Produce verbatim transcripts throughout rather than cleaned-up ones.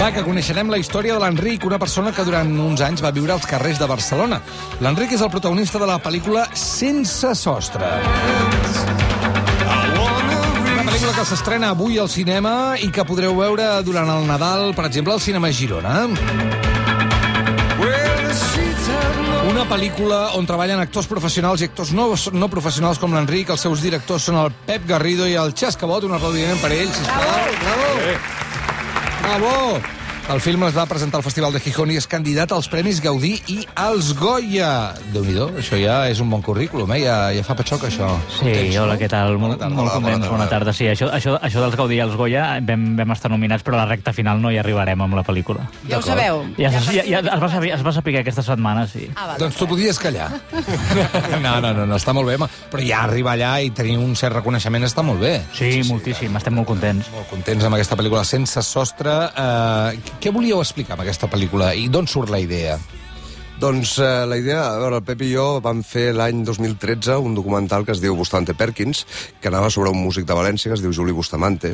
Va, que coneixerem la història de l'Enric, una persona que durant uns anys va viure als carrers de Barcelona. L'Enric és el protagonista de la pel·lícula Sense sostre. Una pel·lícula que s'estrena avui al cinema i que podreu veure durant el Nadal, per exemple, al Cinema Girona. Una pel·lícula on treballen actors professionals i actors no, no professionals com l'Enric. Els seus directors són el Pep Garrido i el Xascabot. Un aplaudiment per ells, sisplau. Bravo! Bravo! El film es va presentar al Festival de Gijón i és candidat als Premis Gaudí i als Goya. Déu-n'hi-do, això ja és un bon currículum, eh? Ja, ja fa patxoc, això. Sí, contents, hola, no? Què tal? Molt, bona molt contents, bona tarda. Sí, això, això, això dels Gaudí i els Goya vam, vam estar nominats, però a la recta final no hi arribarem amb la pel·lícula. Ja ho sabeu? Ja, ja, ja, ja es, va saber, es va saber aquesta setmana, sí. Ah, vale, doncs tu podies callar. No, no, no, no, està molt bé, però ja arribar allà i tenir un cert reconeixement està molt bé. Sí, sí, moltíssim, sí, estem molt contents. Molt contents amb aquesta pel·lícula Sense sostre. Uh, què volíeu explicar amb aquesta pel·lícula i d'on surt la idea? Doncs eh, la idea, a veure, el Pep i jo vam fer l'any dos mil tretze un documental que es diu Bustamante Perkins, que anava sobre un músic de València que es diu Juli Bustamante,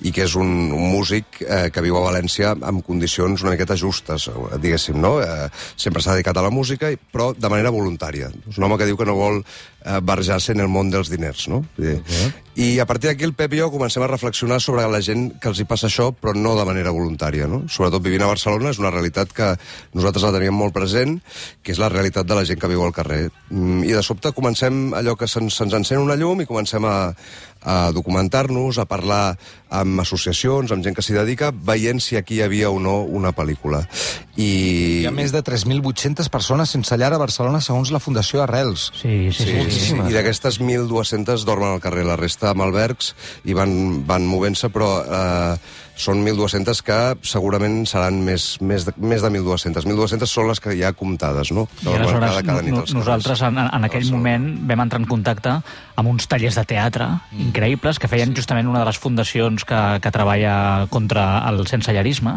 i que és un, un músic eh, que viu a València amb condicions una miqueta justes, diguéssim, no? Eh, sempre s'ha dedicat a la música, però de manera voluntària. És un home que diu que no vol eh, barrejar-se en el món dels diners, no? Uh-huh. I a partir d'aquí el Pep i jo comencem a reflexionar sobre la gent que els hi passa això, però no de manera voluntària, no? Sobretot vivint a Barcelona és una realitat que nosaltres la teníem molt present, que és la realitat de la gent que viu al carrer. I de sobte comencem allò que se'ns, se'ns encén una llum i comencem a, a documentar-nos, a parlar amb associacions, amb gent que s'hi dedica, veient si aquí hi havia o no una pel·lícula. I... Hi ha més de tres mil vuit-centes persones sense llar a Barcelona, segons la Fundació Arrels. Sí, sí, sí. sí, sí. I d'aquestes mil dues-centes dormen al carrer, la resta amb albergs i van, van movent-se, però eh, són mil dues-centes que segurament seran més, més, de, més de mil dues-centes. mil dues-centes són les que hi ha comptades, no? I aleshores cada, cada no, nosaltres en, en aquell moment vam entrar en contacte amb uns tallers de teatre mm. increïbles que feien justament una de les fundacions que, que treballa contra el sensellarisme,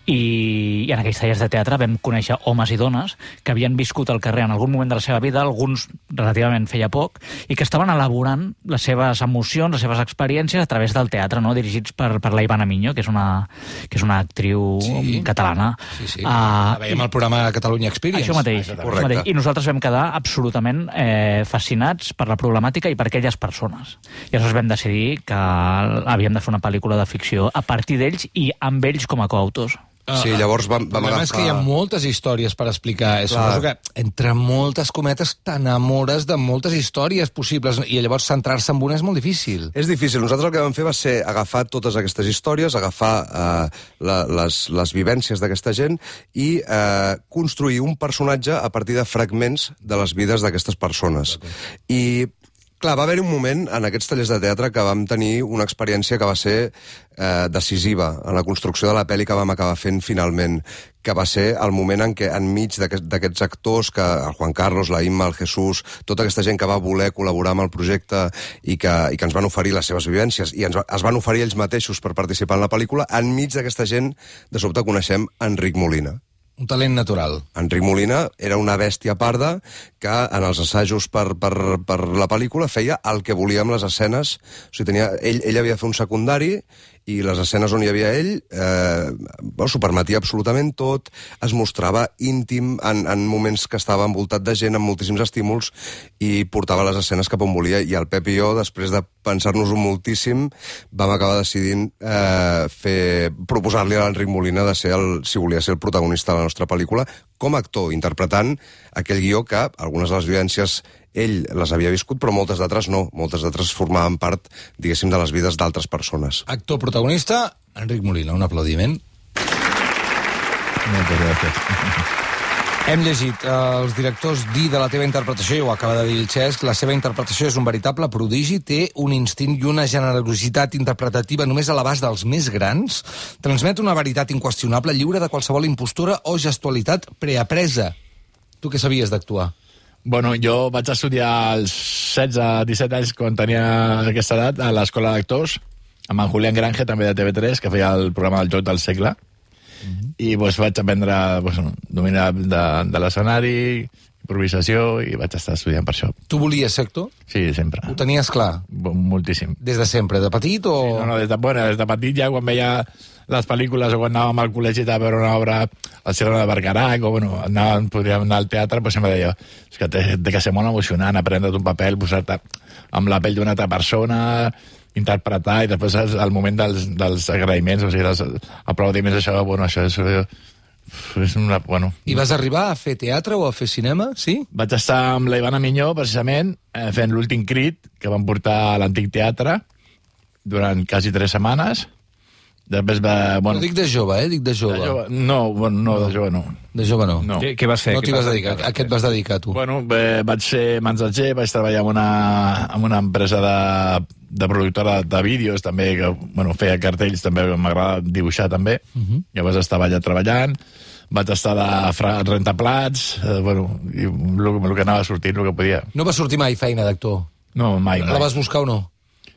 i, i en aquells tallers de teatre vam conèixer homes i dones que havien viscut al carrer en algun moment de la seva vida, alguns relativament feia poc, i que estaven elaborant les seves emocions, les seves experiències a través del teatre, no? Dirigits per, per la Ivana Miño, que és una, que és una actriu sí. catalana. Sí, sí. Uh, la veiem al programa Catalunya Experience. Això mateix. Ah, això mateix. I nosaltres vam quedar absolutament eh, fascinats per la problemàtica i per aquelles persones. I aleshores vam decidir que havíem de fer una pel·lícula de ficció a partir d'ells i amb ells com a coautors. Sí, llavors vam, vam agafar... és que hi ha moltes històries per explicar. Suposo que, entre moltes cometes, t'enamores de moltes històries possibles i llavors centrar-se en una és molt difícil. És difícil. Nosaltres el que vam fer va ser agafar totes aquestes històries, agafar eh, la, les, les vivències d'aquesta gent i eh, construir un personatge a partir de fragments de les vides d'aquestes persones. I... Clar, va haver-hi un moment en aquests tallers de teatre que vam tenir una experiència que va ser eh, decisiva en la construcció de la pel·li que vam acabar fent finalment, que va ser el moment en què enmig d'aquest, d'aquests actors, que el Juan Carlos, la Imma, el Jesús, tota aquesta gent que va voler col·laborar amb el projecte i que, i que ens van oferir les seves vivències i ens, es van oferir ells mateixos per participar en la pel·lícula, enmig d'aquesta gent de sobte coneixem Enric Molina. Un talent natural. Enric Molina era una bèstia parda que en els assajos per, per, per la pel·lícula feia el que volia amb les escenes. O sigui, tenia, ell, ell havia de fer un secundari i les escenes on hi havia ell eh, bueno, s'ho permetia absolutament tot, es mostrava íntim en, en moments que estava envoltat de gent, amb moltíssims estímuls, i portava les escenes cap on volia. I el Pep i jo, després de pensar-nos-ho moltíssim, vam acabar decidint eh, fer, proposar-li a l'Enric Molina de ser el, si volia ser el protagonista de la nostra pel·lícula, com a actor, interpretant aquell guió que algunes de les vivències ell les havia viscut, però moltes d'altres no. Moltes d'altres formaven part, diguéssim, de les vides d'altres persones. Actor protagonista, Enric Molina. Un aplaudiment. Moltes gràcies. Hem llegit eh, els directors dir de la teva interpretació, i ho acaba de dir el Xesc, la seva interpretació és un veritable prodigi, té un instint i una generositat interpretativa només a l'abast dels més grans, transmet una veritat inqüestionable, lliure de qualsevol impostura o gestualitat preapresa. Tu què sabies d'actuar? Bueno, jo vaig estudiar als setze disset anys, quan tenia aquesta edat, a l'Escola d'Actors, amb en Julián Granje, també de T V tres, que feia el programa del Joc del Segle. Mm-hmm. I pues, vaig aprendre pues, dominar de, de l'escenari, improvisació, i vaig estar estudiant per això. Tu volies ser actor? Sí, sempre. Ho tenies clar? Moltíssim. Des de sempre, de petit o...? Sí, no, no, des de, bueno, des de petit ja, quan veia les pel·lícules o quan anàvem al col·legi a veure una obra al Cirano de Bergerac, o bueno, anàvem, podríem anar al teatre, doncs sempre deia, és que té, té que ser molt emocionant aprendre't un paper, posar-te amb la pell d'una altra persona, interpretar, i després el moment dels, dels agraïments, o sigui, dels aplaudiments, això, bueno, això és... és una, bueno. I vas arribar a fer teatre o a fer cinema, sí? Vaig estar amb la Ivana Minyó, precisament, eh, fent l'últim crit, que vam portar a l'Antic Teatre, durant quasi tres setmanes. Després va... Bueno, no dic de jove, eh? Dic de jove. De jove. No, bueno, no, no, de jove no. De jove no. no. Què, què vas fer? No t'hi vas dedicar. A què et vas dedicar, tu? Bueno, bé, vaig ser mensatger, vaig treballar en una, en una empresa de, de productora de vídeos, també, que bueno, feia cartells, també m'agrada dibuixar, també. Uh -huh. Llavors estava allà treballant. Vaig estar de rentaplats, eh, bueno, i el, el que anava sortint, el que podia. No va sortir mai feina d'actor? No, mai, mai. La vas buscar o no?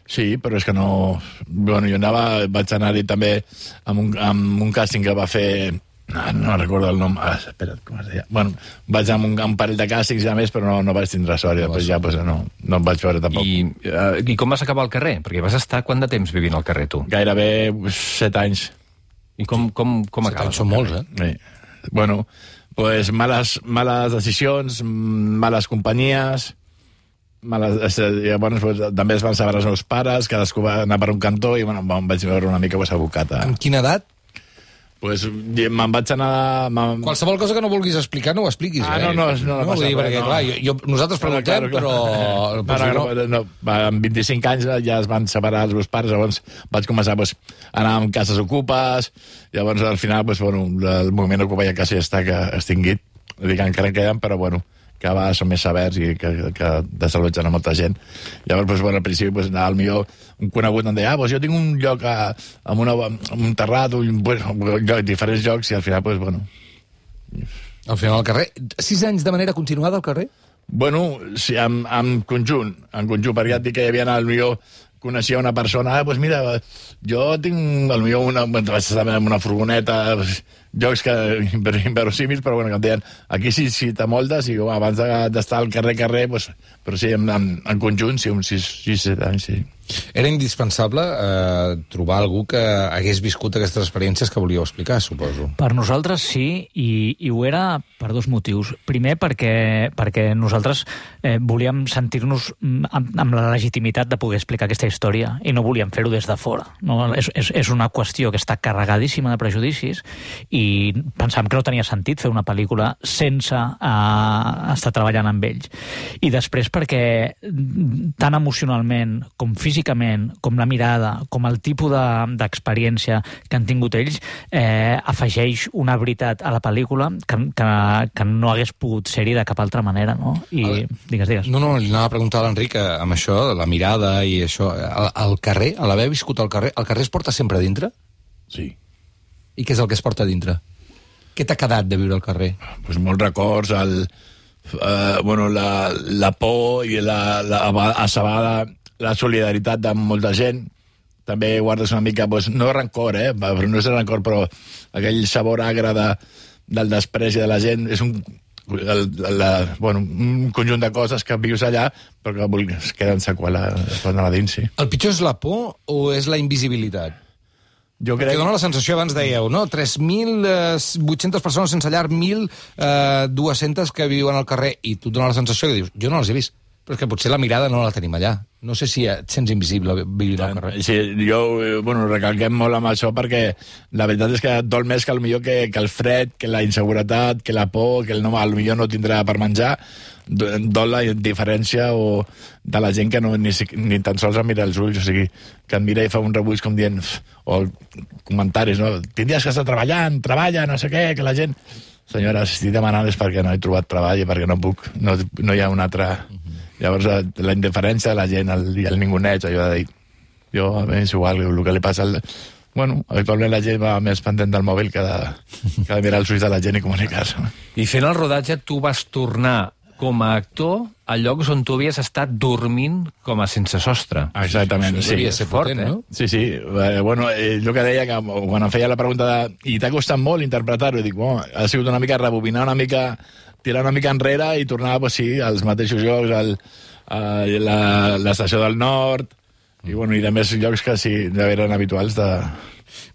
Sí, però és que no... Bueno, jo anava, vaig anar-hi també amb un, amb un càsting que va fer... No, no recordo el nom. Ah, espera't, com es deia? Bueno, vaig amb un, un parell de càstings ja més, però no, no vaig tindre sort. No després ja pues, no, no em vaig veure tampoc. I, uh, I com vas acabar al carrer? Perquè vas estar quant de temps vivint al carrer, tu? Gairebé set anys. I com, com, com acabes? Set anys són molts, eh? Sí. Bueno, pues males, males decisions, males companyies... Males, llavors, pues, també es van saber els meus pares, cadascú va anar per un cantó i bueno, em vaig veure una mica pues, abocat a... Amb quina edat? Pues, me'n vaig anar... Qualsevol cosa que no vulguis explicar, no ho expliquis. Ah, eh? no, no, no, no, no passa dir, perquè, no. clar, jo, jo, nosaltres preguntem, claro, claro. però... No, no, no, no, no, amb vint-i-cinc anys ja es van separar els meus pares, llavors vaig començar pues, a anar amb cases ocupes, llavors al final pues, bueno, el moviment Ocupa ja quasi està que extingit, dic, encara en queden, però bueno, que va, són més severs i que, que desallotgen a molta gent. Llavors, pues, bueno, al principi, pues, al millor un conegut em deia, ah, pues, jo tinc un lloc a, amb, una, amb un terrat, un, bueno, lloc, diferents llocs, i al final, pues, bueno... Al final al carrer. Sis anys de manera continuada al carrer? Bueno, sí, en, en conjunt, en conjunt, perquè ja et dic que hi havia, al millor, coneixia una persona, ah, doncs mira, jo tinc, al millor, una, vaig estar amb una furgoneta, jocs que inverosímils, però bueno, que em deien, aquí sí, sí t'amoldes, i bueno, abans d'estar al carrer, carrer, doncs, però sí, en, en, en conjunt, sí, uns sis, sis, set anys, sí. Era indispensable eh, trobar algú que hagués viscut aquestes experiències que volíeu explicar, suposo. Per nosaltres sí, i, i ho era per dos motius. Primer, perquè, perquè nosaltres eh, volíem sentir-nos amb, amb la legitimitat de poder explicar aquesta història i no volíem fer-ho des de fora. No? És, és, és una qüestió que està carregadíssima de prejudicis i pensàvem que no tenia sentit fer una pel·lícula sense eh, estar treballant amb ells. I després perquè tant emocionalment com físicament físicament, com la mirada, com el tipus d'experiència de, que han tingut ells, eh, afegeix una veritat a la pel·lícula que, que, que no hagués pogut ser-hi de cap altra manera, no? I veure, digues, digues. No, no, li anava a preguntar a l'Enric amb això, la mirada i això. Al, al carrer, a l'haver viscut al carrer, el carrer es porta sempre a dintre? Sí. I què és el que es porta a dintre? Què t'ha quedat de viure al carrer? Pues molts records, el, eh, bueno, la, la por i la, la assabada, la solidaritat de molta gent. També guardes una mica, doncs, no rancor, eh? Però no és rancor, però aquell sabor agre de, del despreci de la gent. És un, el, la, bueno, un conjunt de coses que vius allà, però que es queden seqüela quan a dins, sí. El pitjor és la por o és la invisibilitat? Jo crec... Perquè dona la sensació, abans dèieu, no? tres mil vuit-centes persones sense llar, mil dues-centes que viuen al carrer, i tu et dona la sensació que dius, jo no les he vist. Però és que potser la mirada no la tenim allà. No sé si et sents invisible vivint al carrer. Sí, jo, bueno, recalquem molt amb això perquè la veritat és que et dol més que, millor que, que el fred, que la inseguretat, que la por, que el no, millor no tindrà per menjar. Dol la diferència o de la gent que no, ni, ni tan sols em mira els ulls, o sigui, que em mira i fa un rebuig com dient, o comentaris, no? Tindries que estar treballant, treballa, no sé què, que la gent... Senyora, si estic demanant és perquè no he trobat treball i perquè no puc, no, no hi ha un altre... Llavors, la indiferència de la gent el, i el ninguneig, allò de dir, jo, a mi és igual, el que li passa... Al... Bueno, habitualment la gent va més pendent del mòbil que de, que de mirar els ulls de la gent i comunicar-se. I fent el rodatge, tu vas tornar com a actor a llocs on tu havies estat dormint com a sense sostre. Exactament, sí. Devia ser potent, eh? no? Sí, sí. Eh, bueno, eh, jo que deia que quan em feia la pregunta de i t'ha costat molt interpretar-ho, dic, bueno, ha sigut una mica rebobinar una mica... tirar una mica enrere i tornar, pues, sí, als mateixos llocs, al, a l'estació del Nord, i, bueno, i de més llocs que sí, eren habituals de,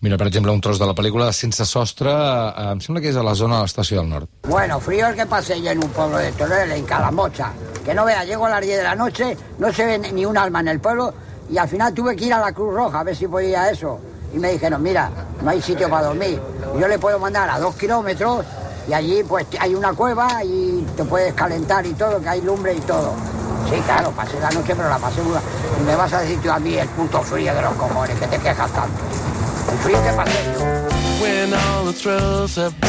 Mira, per exemple, un tros de la pel·lícula Sense sostre, eh, em sembla que és a la zona de l'Estació del Nord. Bueno, frío el que pasé yo en un pueblo de Teruel, en Calamocha. Que no vea, llego a las diez de la noche, no se ve ni un alma en el pueblo, y al final tuve que ir a la Cruz Roja a ver si podía eso. Y me dijeron, mira, no hay sitio para dormir. Yo le puedo mandar a dos kilómetros, y allí pues hay una cueva y te puedes calentar y todo, que hay lumbre y todo. Sí, claro, pasé la noche, pero la pasé muy... Y me vas a decir tú a mí el puto frío de los cojones, que te quejas tanto. El frío que pasé yo.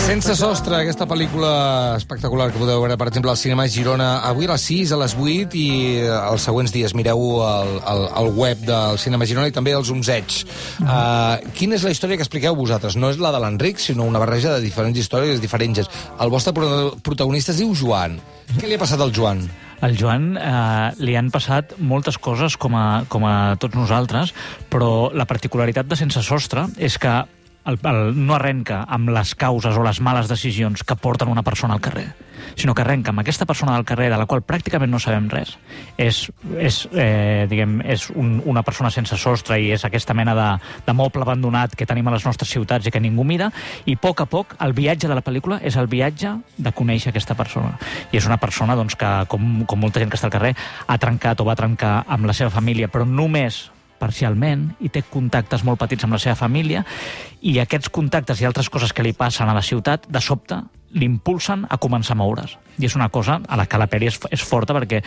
Sense sostre, aquesta pel·lícula espectacular que podeu veure, per exemple, al cinema Girona avui a les sis, a les vuit i els següents dies. Mireu el, el, el web del cinema Girona i també els Onzeig. Uh, quina és la història que expliqueu vosaltres? No és la de l'Enric, sinó una barreja de diferents històries diferents. El vostre protagonista es diu Joan. Què li ha passat al Joan? Al Joan eh, li han passat moltes coses com a, com a tots nosaltres, però la particularitat de Sense sostre és que el, el, no arrenca amb les causes o les males decisions que porten una persona al carrer, sinó que arrenca amb aquesta persona del carrer de la qual pràcticament no sabem res. És, és, eh, diguem, és un, una persona sense sostre i és aquesta mena de, de moble abandonat que tenim a les nostres ciutats i que ningú mira, i a poc a poc el viatge de la pel·lícula és el viatge de conèixer aquesta persona. I és una persona doncs, que, com, com molta gent que està al carrer, ha trencat o va trencar amb la seva família, però només parcialment, i té contactes molt petits amb la seva família, i aquests contactes i altres coses que li passen a la ciutat, de sobte, l'impulsen a començar a moure's. I és una cosa a la que la pel·li és, és forta perquè,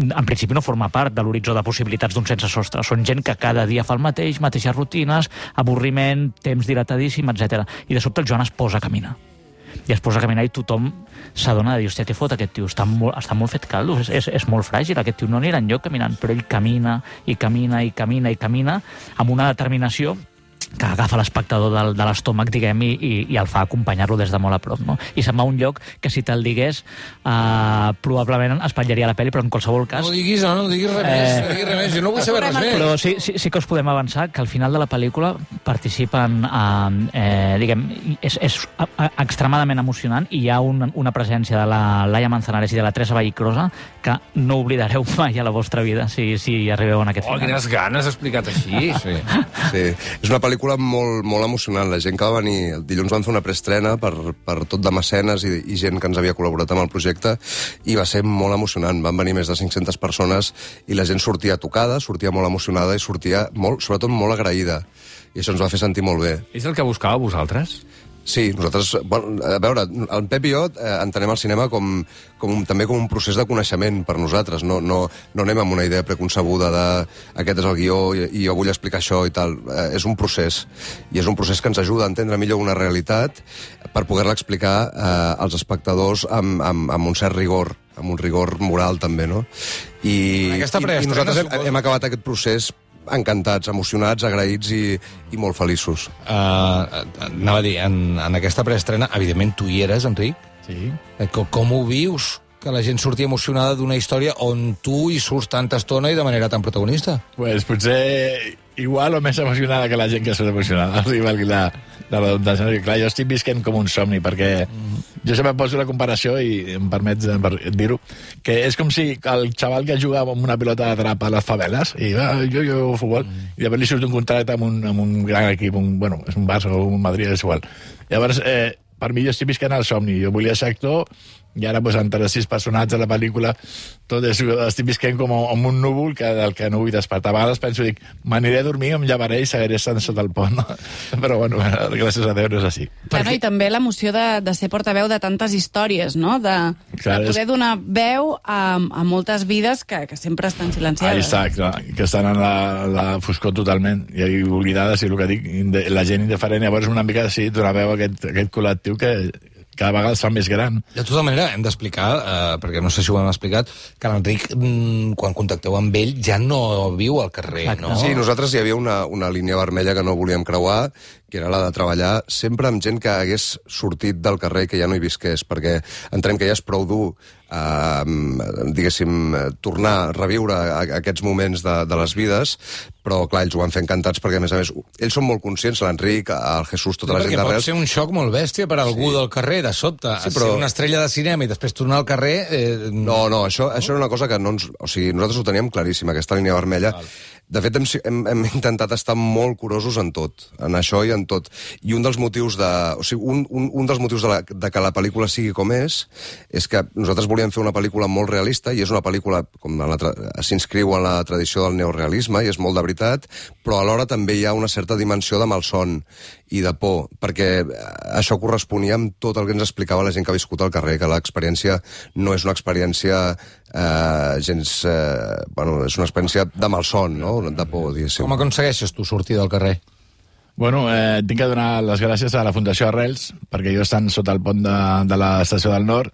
en principi, no forma part de l'horitzó de possibilitats d'un sense sostre. Són gent que cada dia fa el mateix, mateixes rutines, avorriment, temps dilatadíssim, etcètera. I de sobte el Joan es posa a caminar. I es posa a caminar i tothom s'adona de dir, hòstia, què fot aquest tio? Està molt, està molt fet caldo, és, és, és molt fràgil, aquest tio no anirà enlloc caminant, però ell camina i camina i camina i camina amb una determinació que agafa l'espectador de, de l'estómac, diguem, i, i, i el fa acompanyar-lo des de molt a prop, no? I se'n va a un lloc que, si te'l digués, eh, probablement espatllaria la pel·li, però en qualsevol cas... No diguis, no, no diguis res més, no diguis res més, jo no vull saber res més. Però sí, sí, sí que us podem avançar que al final de la pel·lícula participen, eh, eh, diguem, és, és extremadament emocionant, i hi ha un, una presència de la Laia Manzanares i de la Teresa Vallicrosa que no oblidareu mai a la vostra vida si, si arribeu en aquest oh, final. Oh, quines ganes, explicat així. Sí. Sí. És una pel·lícula molt, molt emocionant. La gent que va venir... El dilluns van fer una preestrena per, per tot de mecenes i, i gent que ens havia col·laborat amb el projecte, i va ser molt emocionant. Van venir més de cinc-centes persones i la gent sortia tocada, sortia molt emocionada i sortia, molt, sobretot, molt agraïda. I això ens va fer sentir molt bé. És el que buscàveu vosaltres? Sí, nosaltres... Bueno, a veure, el Pep i jo eh, entenem el cinema com, com un, també com un procés de coneixement per nosaltres. No, no, no anem amb una idea preconcebuda de aquest és el guió i, i jo vull explicar això i tal. Eh, és un procés. I és un procés que ens ajuda a entendre millor una realitat per poder-la explicar eh, als espectadors amb, amb, amb un cert rigor, amb un rigor moral també, no? I, i, i nosaltres hem, hem acabat aquest procés encantats, emocionats, agraïts i, i molt feliços. Uh, anava a dir, en, en aquesta preestrena, evidentment tu hi eres, Enric. Sí. Com, com ho vius, que la gent surti emocionada d'una història on tu hi surts tanta estona i de manera tan protagonista? Pues potser igual o més emocionada que la gent que surt emocionada. O sigui, valgui la, la redundància. Clar, jo estic visquent com un somni, perquè mm. jo sempre poso la comparació, i em permets dir-ho, que és com si el xaval que jugava amb una pilota de trap a les faveles, i va, jo jugo a futbol, mm. i després li surt un contracte amb un, amb un gran equip, un, bueno, és un Barça o un Madrid, és igual. Llavors, eh, per mi jo estic visquent el somni. Jo volia ser actor, i ara, pues, entre sis personatges de la pel·lícula, tot és, estic visquent com amb un núvol que, del que no vull despertar. A vegades penso, dic, m'aniré a dormir, em llevaré i seguiré estant sota el pont. No? Però, bueno, gràcies a Déu no és així. Bueno, i també l'emoció de, de ser portaveu de tantes històries, no? De, clar, de poder és... donar veu a, a moltes vides que, que sempre estan silenciades. Ahí està, clar, que estan en la, la foscor totalment, i oblidades, i el que dic, la gent indiferent. Llavors, una mica, sí, donar veu a aquest, aquest col·lectiu que cada vegada es fa més gran. De tota manera, hem d'explicar, eh, perquè no sé si ho hem explicat, que l'Enric, mm, quan contacteu amb ell, ja no viu al carrer, no? Sí, nosaltres hi havia una, una línia vermella que no volíem creuar, que era la de treballar sempre amb gent que hagués sortit del carrer i que ja no hi visqués, perquè entenem que ja és prou dur, eh, diguéssim, tornar a reviure aquests moments de, de les vides, però, clar, ells ho van fer encantats perquè, a més a més, ells són molt conscients, l'Enric, el Jesús, tota no, la gent d'arrel. Perquè pot ser un xoc molt bèstia per a algú sí. del carrer, de sobte. Sí, però... Ser una estrella de cinema i després tornar al carrer... Eh... No, no, això, això era una cosa que no ens... O sigui, nosaltres ho teníem claríssim, aquesta línia vermella. Val. De fet, hem, hem, hem intentat estar molt curosos en tot, en això i en tot. I un dels motius de... O sigui, un, un, un dels motius de, la, de que la pel·lícula sigui com és, és que nosaltres volíem fer una pel·lícula molt realista, i és una pel·lícula, com s'inscriu en la tradició del neorealisme, i és molt de veritat, però alhora també hi ha una certa dimensió de malson i de por, perquè això corresponia amb tot el que ens explicava la gent que ha viscut al carrer, que l'experiència no és una experiència eh, gens... Eh, bueno, és una experiència de malson, no? De por, diguéssim. Com aconsegueixes tu sortir del carrer? Bueno, eh, tinc que donar les gràcies a la Fundació Arrels, perquè jo estant sota el pont de, de l'estació del Nord,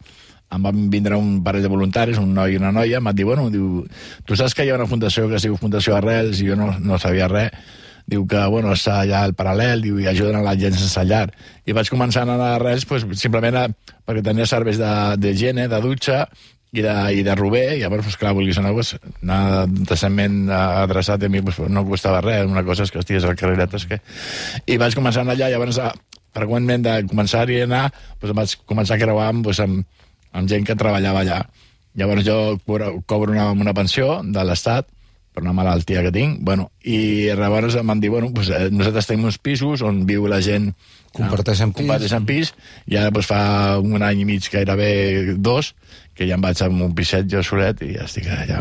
em van vindre un parell de voluntaris, un noi i una noia, em van dir, bueno, diu, tu saps que hi ha una fundació que es diu Fundació Arrels, i jo no, no sabia res, diu que, bueno, està allà al paral·lel, diu, i ajuden a la gent sense llar. I vaig començar a anar a Arrels, pues, simplement a, perquè tenia serveis de, de higiene, de dutxa, i de, i de rober, i llavors, pues, clar, vulguis anar, pues, anar decentment adreçat a mi, pues, no costava res, una cosa és que estigués al carreret, és que... I vaig començar a anar allà, llavors, a, freqüentment de començar-hi a anar, pues, vaig començar a creuar amb, pues, amb, amb gent que treballava allà. Llavors jo cobro una, una pensió de l'Estat, per una malaltia que tinc, bueno, i llavors em van dir, bueno, pues, eh, nosaltres tenim uns pisos on viu la gent... Comparteixen pis. Comparteixen pis, i ara pues, fa un any i mig, gairebé dos, que ja em vaig amb un piset jo solet i ja estic allà.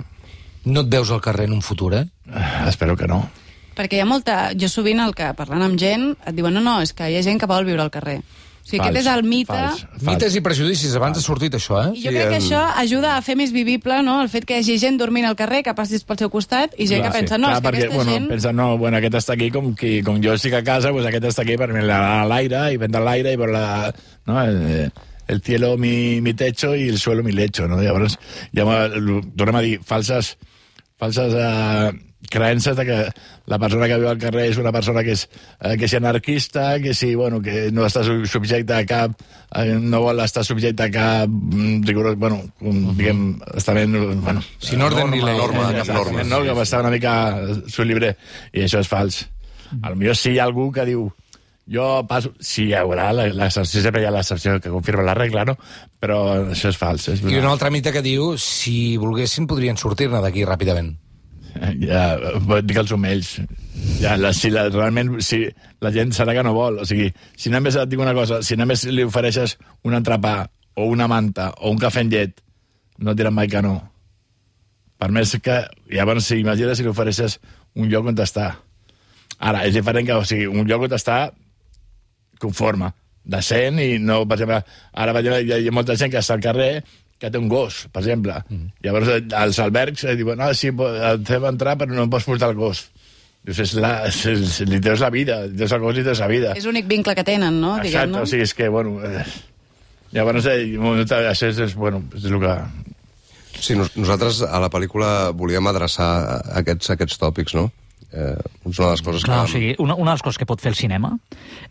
No et veus al carrer en un futur, eh? Uh, espero que no. Perquè hi ha molta... Jo sovint, el que parlant amb gent, et diuen, no, no, és que hi ha gent que vol viure al carrer. O sigui, fals, aquest és el mite... Fals, fals. Mites i prejudicis, abans ha sortit això, eh? I jo sí, crec que en... això ajuda a fer més vivible, no?, el fet que hi hagi gent dormint al carrer, que passis pel seu costat, i gent clar, que pensa, sí. no, clar, és que perquè, aquesta bueno, gent... pensa, no, bueno, aquest està aquí com, qui, com jo estic a casa, pues aquest està aquí per mirar a l'aire, i prendre l'aire, i per la... No, el, el cielo mi, mi techo i el suelo mi lecho, no? Llavors, ja tornem a dir, falses... falses uh, creences de que la persona que viu al carrer és una persona que és, eh, que és anarquista, que sí, bueno, que no està subjecte a cap, eh, no vol estar subjecte a cap rigorós, bueno, un, diguem, estament, bueno... Sin orden norma, ni ley. Norma, cap norma. No, que va estar una mica su libre, i això és fals. A lo millor sí hi ha algú que diu, jo passo... Sí, hi haurà l'excepció, sempre hi ha l'excepció que confirma la regla, no? Però això és fals. És I un altre mite que diu, si volguessin, podrien sortir-ne d'aquí ràpidament. Ja, dic els omells. Ja, la, si la, realment, si la gent serà que no vol. O sigui, si només et dic una cosa, si només li ofereixes un entrepà, o una manta, o un cafè amb llet, no et diran mai que no. Per més que... Llavors, si imagines si li ofereixes un lloc on està. Ara, és diferent que, o sigui, un lloc on està conforme, decent, i no, per exemple, ara hi ha, hi ha molta gent que està al carrer que té un gos, per exemple. Mm. Llavors, als albergs eh, diuen, no, sí, et fem entrar, però no pots portar el gos. Dius, és la, és, és, li teus la vida, li teus el gos i teus la vida. És l'únic vincle que tenen, no? Exacte, o sigui, és que, bueno... Eh, llavors, eh, això és, és, bueno, és el que... Sí, nosaltres a la pel·lícula volíem adreçar aquests, aquests tòpics, no? Eh, és una de les coses Clar, que... O sigui, una, una de les coses que pot fer el cinema,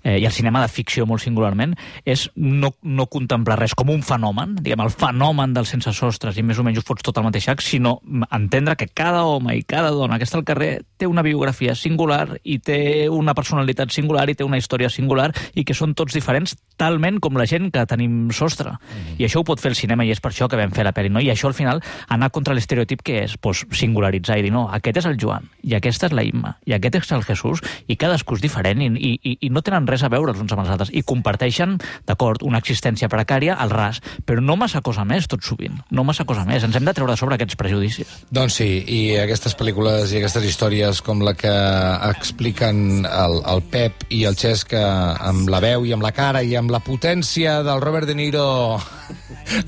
eh, i el cinema de ficció molt singularment, és no, no contemplar res com un fenomen, diguem, el fenomen dels sense sostres, i més o menys ho fots tot al mateix sac, sinó entendre que cada home i cada dona que està al carrer té una biografia singular, i té una personalitat singular, i té una història singular, i que són tots diferents, talment com la gent que tenim sostre. Mm-hmm. I això ho pot fer el cinema, i és per això que vam fer la pel·li, no? I això, al final, anar contra l'estereotip que és, pues, singularitzar i dir, no, aquest és el Joan, i aquesta és la Imma, i aquest és el Jesús, i cadascú és diferent, i, i, i no tenen res a veure els uns amb els altres, i comparteixen, d'acord, una existència precària al ras, però no massa cosa més, tot sovint, no massa cosa més. Ens hem de treure de sobre aquests prejudicis. Doncs sí, i aquestes pel·lícules i aquestes històries com la que expliquen el, el Pep i el Xesc amb la veu i amb la cara i amb la potència del Robert De Niro,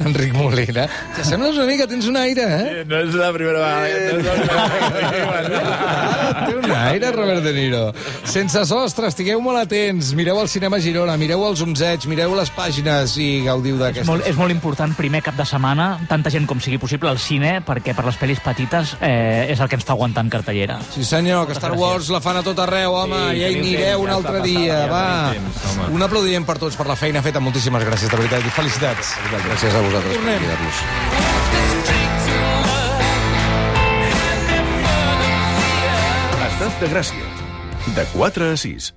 Enric Molina, que sembles una mica, tens un aire, eh? No és la primera vegada. No és la primera vegada. Té un aire, Robert De Niro. Sense sostre, estigueu molt atents, mireu el cinema Girona, mireu els onzets, mireu les pàgines i gaudiu d'aquestes. És molt, és molt important, primer cap de setmana, tanta gent com sigui possible al cine, perquè per les pel·lis petites eh, és el que ens fa aguantar en cartellera. Sí senyor, que Star Wars la fan a tot arreu, home, sí, ja hi anireu un altre dia, va. Un aplaudiment per tots per la feina feta, moltíssimes gràcies, de veritat, i felicitats. Gràcies a vosaltres per convidar-nos. Estat de Gràcia, de quatre a sis.